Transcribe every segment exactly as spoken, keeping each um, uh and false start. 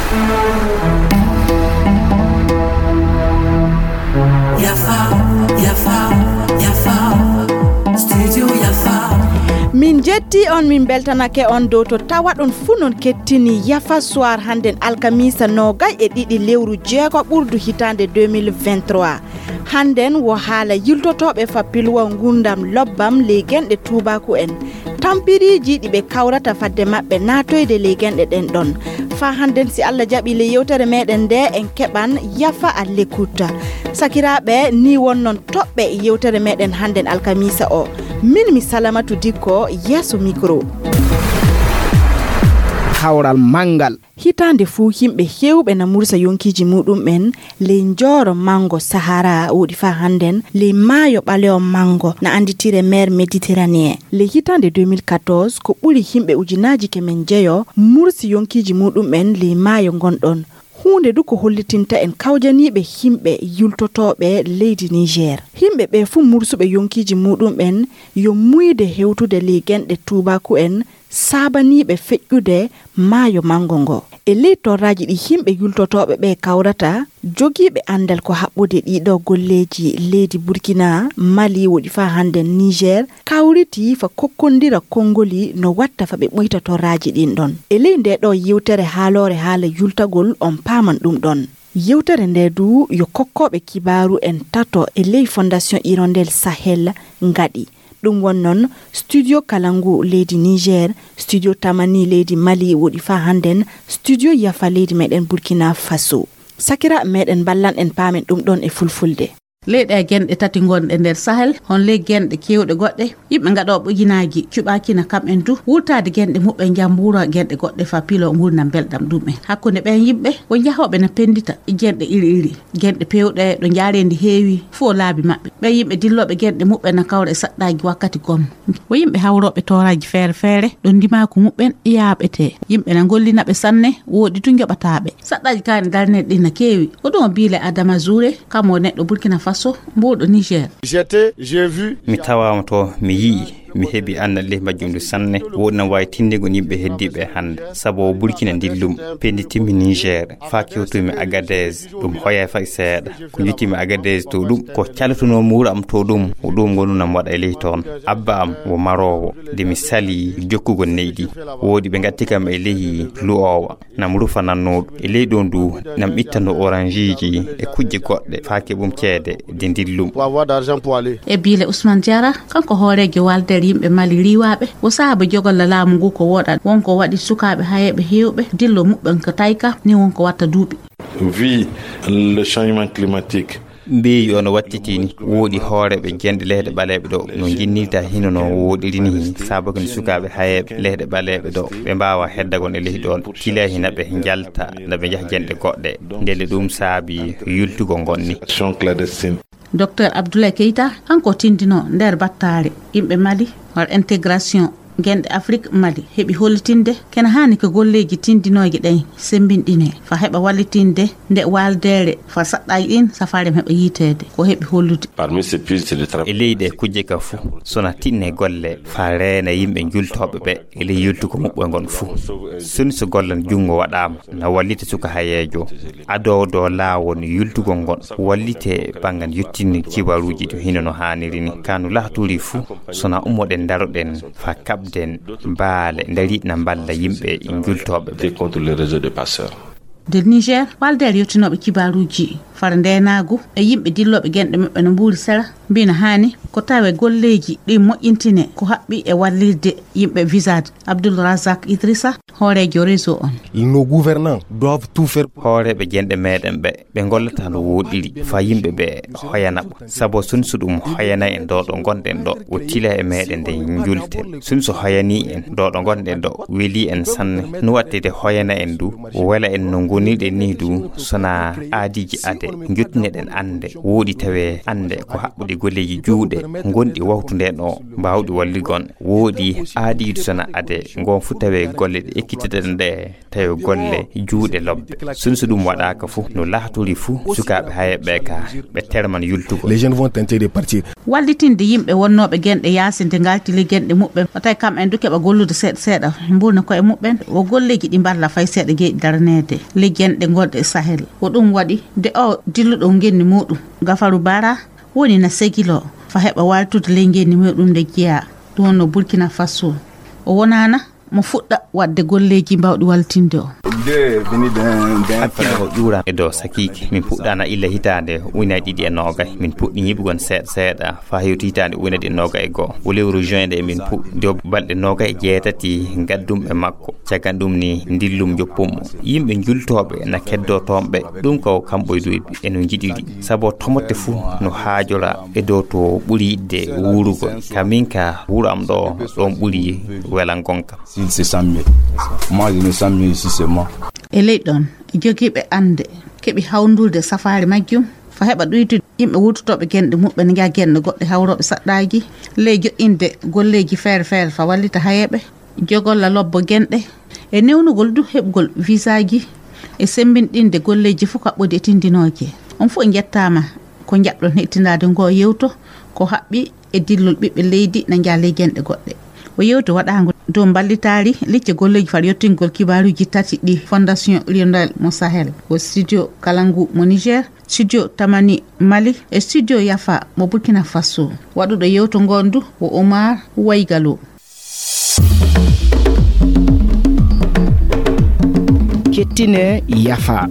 Yafa, yafa, yafa. Studio Yafa. Min jetti on, min beltanake on dow to tawa ɗon fuu non kettini Yafa Soir hannden alkamiisa noogay e ɗiɗi lewru jeego ɓurdu hitaande deux mille vingt-trois. Hannden wo haala yiltotooɓe fa pilwa ngurdam lobbam ley genɗe tuubaaku en. Tampiriiji ɗi ɓe kawrata fadde maɓɓe naatoyde ley genɗe ɗen ɗon. Faa hannden si Allah jaɓi ley yewtere meɗen nde en keɓan Yafa a lekkuta. Sakiraaɓe, ni wonnon toɓɓe yewtere meɗen hannden alkamiisa o. Min mi Salamatu Dikko yeeso mikro. Kawral manngal. Hitaande fuu, yimɓe heewɓe na mursa yonkiiji muuɗum'en ley njooro manngo Sahara, woɗi faa hannden ley maayo ɓalewo manngo, na annditire mer Méditerranée. Ley hitaande deux mille quatorze, ko ɓuri yimɓe ujunaaji kemen njeyo mursi yonkiiji muuɗum'en ley maayo ngon ɗon. Huunde du ko hollitinta en kawjaniiɓe yimɓe yultotooɓe leydi Niger. Yimɓe ɓe fuu mursuɓe yonkiiji muuɗum'en yo muuyde hewtude ley genɗe tuubaaku en saabaniiɓe feƴƴude maayo manngo ngo. E ley torraaji ɗi yimɓe yultotooɓe ɓe kawrata, jogiiɓe anndal ko haɓɓude ɗiɗo golleeji leydi Burkina, Mali, woɗi faa hannden Niger, kawriti faa kokkondira konngoli no watta faa ɓe ɓuyta torraaji ɗin ɗon. E ley nde ɗo yewtere haaloore haala yultagol, on paaman ɗum ɗon. Yewtere nde du yo kokkooɓe kibaaru en tato e ley Fondation Hirondelle Sahel ngaɗi. Ɗum won noon Studio Kalangu leydi Niger, Studio Tamani leydi Mali woɗi faa hannden, Studio Yafa leydi meɗen Burkina Faso. Sakiraaɓe meɗen, mballan en paamen ɗum ɗon e fulfulde. Ley ɗe genɗe tati ngonɗe nder Sahel, hon ley genɗe keewɗe goɗɗe, yimɓe ngaɗooɓe ujunaaji cuɓaakina kam en du wurtaade genɗe muɓɓen njambuura genɗe goɗɗe faa pilo ngurndan belɗam ɗum en. Hakkunde ɓeen yimɓe, wo njahooɓe na penndita genɗe iri iri. Genɗe peewɗe ɗo njaareendi heewi fuu o laabi maɓɓe. Ɓee yimɓe dillooɓe genɗe muɓɓen na kawra e saɗɗaaji wakkati gom. Wo yimɓe hawrooɓe tooraaji feere feere ɗo ndimaaku muɓɓen yaaɓetee. Yimɓe na ngollina ɓe sanne, woodi du njoɓataaɓe. Saɗɗaaji kaani darneeɗi ɗin na keewi. Ko ɗum o biile Adama Zure, kam o neɗɗo Burkina Faso, mbuuɗo Niger. J'étais, j'ai vu. Mi tawaama to, mi yi'i. Mi heɓi annal ley majjum ndu sanne, woɗi na waawi tinndingol yimɓe heddiiɓe hannde, sabu o Burkina ndillum, pennditinmi Niger, faa kewtumi Agadez, ɗum hoyaay fay seeɗa. Ko njuttimi Agadez to ɗum, ko calatunoo muuru am to ɗum, ko ɗum ngonu nam waɗa e ley toon. Abba am wo maroowo, nde mi salii jokkugol neyɗi, woodi ɓe ngatti kam e ley lu'oowa. Nam rufa nannooɗo. E ley ɗoon du, nam ittano oranjiiji e kujje goɗɗe faa keɓum ceede de ndillum. Pour avoir d'argent pour aller. E biile Ousmane Diarra, kanko hooreejo Walder yimɓe Mali riiwaaɓe, wo sababu jogolla laamu ngu ko woɗa, won ko waɗi sukaaɓe hayeeɓe heewɓe, dillo muɓɓen ko tayka, ni won ko watta duuɓi. Vu le changement climatique, mbeeyu ono wattiti ni, woodi hooreeɓe genɗe leyɗe ɓaleeɓe ɗo, no njinnirta hino no woɗiri ni, sabu ko ni sukaaɓe hayeeɓe leyɗe ɓaleeɓe ɗo, ɓe mbaawa heddagon e leydi ɗoon, tilaa hina ɓe njalta, na ɓe njaha genɗe goɗɗe. Ndelle ɗum saabi yultugol ngon ni. Action clandestine. Docteur Abdoulaye Keita, kanko tindino nder battaare yimɓe Mali, war intégration genɗe Afrik Mali, heɓi hollitinde kene haani ko golleeji tindinooji ɗen semmbinɗinee, faa heɓa wallitinde nde waaldeere faa saɗɗaaji ɗin safaare heɓa yiiteede, ko heɓi hollude. Parmi ces pistes de travail. E ley ɗe kujje ka fuu, sona tinne golle faa reena yimɓe njultooɓe ɓe e ley yultugol muɓɓe ngon fuu. Soni so gollan junngo waɗaama, na wallita suka hayeejo. Adoo dow laawol yultugol ngon, wallite banngal yottinir kibaruuji to hino no haaniri ni. Ka no laatorii fuu, sona ummoɗen ndaroɗen faa kaɓden baale ndariiɗe na mballa yimɓe njultooɓe ɓe. Lutter contre le réseau de passeurs. Nder Niger, waaldeere yottinooɓe kibaaruuji fara ndeenaagu e yimɓe dillooɓe genɗe maɓɓe no mbuuri sera, mbii na haani ko tawe golleeji ɗi moƴƴintine ko haɓɓi e wallirde yimɓe visade. Abdoul Razak Idrissa, hooreejo réseau on. Nos gouvernants doivent tout faire pour. Hooreeɓe genɗe meɗen ɓe, ɓe ngollata no woɗɗiri faa yimɓe ɓe hoyana ɓe. Sabu sun so ɗum hoyana en ɗo ɗo ngonɗen ɗo, o tila e meɗen nde njulte. Sun so hoyani en ɗo ɗo ngonɗen ɗo, weli en sanne. No wattede hoyana en du, o wela en no ngonirɗen ni du, sona aadiiji ade, njottinoɗen annde, woɗi tawe annde ko haɓɓude golleeji juuɗe, ngonɗi wawtude ɗo, mbaawɗi walligon. Woɗi aadiidu sona ade, ngon fu tawe golle ɗe Kitteten ɗe tawi golle juuɗe lobbe. Sunso ɗum waɗaaka fuu, no laatori fuu, sukaaɓe hayeeɓe ka ɓe terman yultugol. Les jeunes vont tenter de partir. Wallitinde yimɓe wonnooɓe genɗe yaasi nde ngalti ley genɗe muɓɓen, o tawi kam en du keɓa gollude seeɗa seeɗa, mburna koye muɓɓen, o golleeji ɗi mballa fay seeɗa jeyɗi daraneede ley genɗe gonɗe e Sahel. O ɗum waɗi nde o dilluɗo ngenni muɗum, Gafaru Bara, woni na segiloo fa heɓa waaltude ley ngenni muɗum nde jeyaa, ɗum wonno Burkina Faso. O wonaana mo fuɗɗa waɗde golleeji mbawɗi wallitinde o. Hakkille o ƴuura e dow sakiike. Min puɗɗaana illa hitaande ujunaaji ɗiɗi e noogay. Min puɗɗi ñiɓugol seeɗa seeɗa faa hewti hitaande ujunaaji ɗiɗi e noogay e goo. O lewru juin nde min puɗɗi dow balɗe noogay e jeetati gaddum e makko. Caggal ɗum ni ndillum joppum mo. Yimɓe njultooɓe na keddoo toon ɓe. Ɗum ko kamɓe du e no njiɗiri. Sabu tomotte fuu no haajora e dow to ɓuri yiɗde wuurugol. Ka min ka wuro am ɗo, ɗoon ɓuri welan gonka. S'il se sent mieux. Moi, je me sens mieux ici, c'est moi. E ley ɗoon, jogiiɓe annde keɓi hawndulde safaari majjum, fa heɓa ɗuytude yimɓe wuurtotooɓe genɗe muɓɓen, njaha genɗe goɗɗe hawrooɓe saɗɗaaji, ley joɗɗinde golleeji feere feere fa wallita hayeeɓe, jogolla lobbo genɗe, e newnugol du heɓgol visaaji, e semmbinɗinde golleeji fof kaɓɓoodi e tindinooje. On fof njettaama ko njaɓɗon heɗtindaade ngoo yewto, ko haɓɓi e dillol ɓiɓɓe leydi na njaha ley genɗe goɗɗe. O yewti waɗaango dow mballitaari licce golleeji far yottingol kibaaruuji tati ɗi Fondation Hirondelle mo Sahel, ko Studio Kalangu mo Niger, Studio Tamani Mali e Studio Yafa mo Burkina Faso. Waɗuɗo yewto ngoon du ko Omar Waygalo. Kettine Yafa.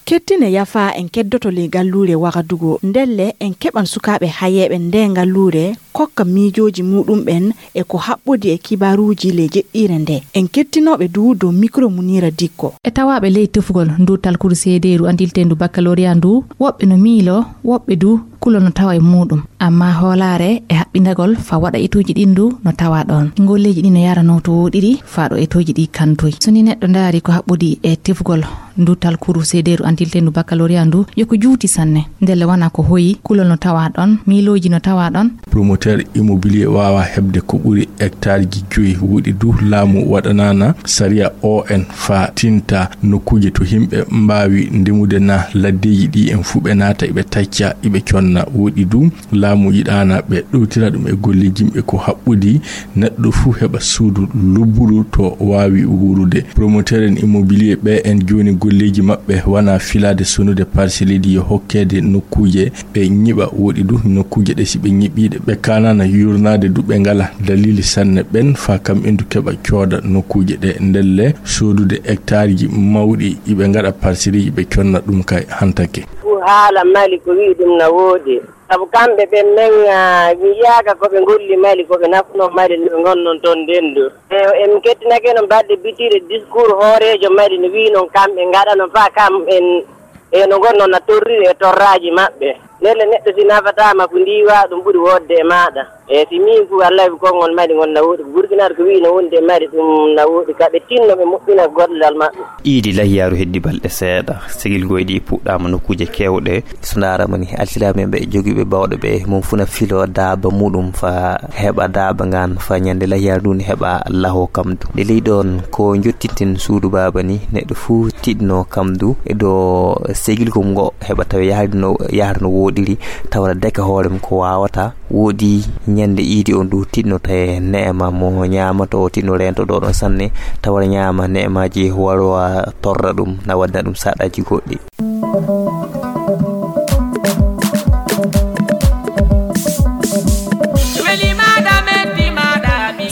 Kettine Yafa, en keddoto ley ngalluure Wagadugu. Ndelle en keɓan sukaaɓe hayeeɓe ndee ngalluure, kokka miijooji muuɗumɓen e ko haɓɓodi e kibaaruuji ley jeɗɗiire ndee. En kettinooɓe du dow mikro Muniira Dikko. E tawaaɓe ley tefugol ndu talkuru seedeeru andilteendu baccalauréat ndu, woɓɓe no miiloo, woɓɓe du kulol no tawa e muuɗum. Ammaa hoolaare e haɓɓindagol fa waɗa etuuji ɗin du no tawa ɗoon. Ngolleeji ɗin no yaranoo to wooɗiri faa ɗo etuuji ɗi kantoyi. So ni neɗɗo ndaari ko haɓɓodi e tefugol ndu talkuru seedeeru andilteendu baccalauréat ndu, yo ko juuti sanne. Ndelle wona ko hoyi, kulol no tawa ɗoon, miilooji no tawa ɗoon. Promoteur immobilier waawa heɓde ko ɓuri hectareji joyi. Wooɗi du, laamu waɗanaana sariya O N faa tinta nokkuuje to yimɓe mbaawi ndemude naa laddeeji ɗi en fuu ɓe naata iɓe tacca, iɓe conna. Wooɗi du, laamu yiɗaana ɓe ɗowtira ɗum e golleeji yimɓe ko haɓɓodi neɗɗo fuu heɓa suudu lubburu to waawi wuurude. Promoteur en immobilier ɓe en jooni golleeji maɓɓe wona filaade sonude parcelleeji yo hokkeede nokkuuje ɓe ñiɓa. Wooɗi du nokkuuje ɗe si ɓe ñiɓii ɗe ɓe kaanaana yuurnaade du ɓe ngala dalili sanne ɓen faa kam en du keɓa cooda nokkuuje ɗe. Ndelle soodude hectareji mawɗi iɓe ngaɗa parcelleeji ɓe conna ɗum kay hantake. Haala Mali ko wi'i ɗum na woodi. Sabu kamɓe ɓen men, ah, mi yiyaaka ko ɓe ngolli Mali, ko ɓe nafuno Mali no ɓe ngonnon toon ndenndu. E, en kettinake no mbaɗde bitiire discours hooreejo Mali no wi'i noon kamɓe ngaɗano faa kam en, e no ngonnon na torriri e torraaji maɓɓe. Ndelle neɗɗo si nafataama ko ndiiwa ɗum ɓuri woodde e maaɗa. E si miin fu wallahi ko konngol Mali ngol na woodi, ko Burkina ko wi'i no wondi e Mali ɗum na woodi, ka ɓe tinno ɓe moƴƴina gollal maɓɓe. Iidi lahiyaaru heddi balɗe seeɗa, segilgooji ɗi puɗɗaama nokkuuje keewɗe. So ndaarama ni, alsilaaɓe ɓe jogiiɓe bawɗe ɓe, mum fuu na filoo daaba muɗum faa heɓa daaba ngaan, faa ñande lahiyaaru ndun heɓa lahoo kam du. Nde ley ɗoon ko njottinten suudu baaba ni, neɗɗo fuu tiɗno kam du e dow segilgol ngo heɓa tawi yahri no, yahra no wooɗiri, tawa na deka hoore mum ko waawata. Wooɗi ñande iidi on du tiɗno tawi neema mo ñaamato o tiɗno reento ɗo ɗon sanne, tawa ñaama neemaaji warwa torra ɗum, na waɗana ɗum saɗaaji goɗɗi.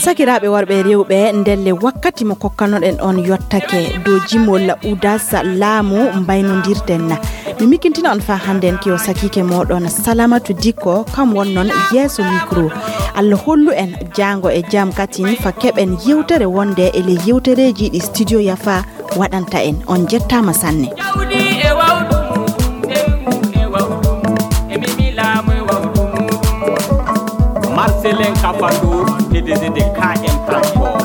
Sakiraaɓe worɓe e rewɓe, ndelle wakkati mo kokkanoɗen on yottake dow jimol Udas laamu mbaynondirten. Mi mikintina on faa hannden ki o sakiike mooɗon Salamatu Dikko, kam wonnon yeeso mikro. Allah hollu en jaango e jam katin faa keɓen yewtere wonde e ley yewtereeji ɗi Studio Yafa waɗanta en. On njettaama sanne. Jawdi e wawdu mum, ɓerngu e wawdu mum, e mimi laamu e wawdu mum. Marcelin Kafando, P D G de K M Transport.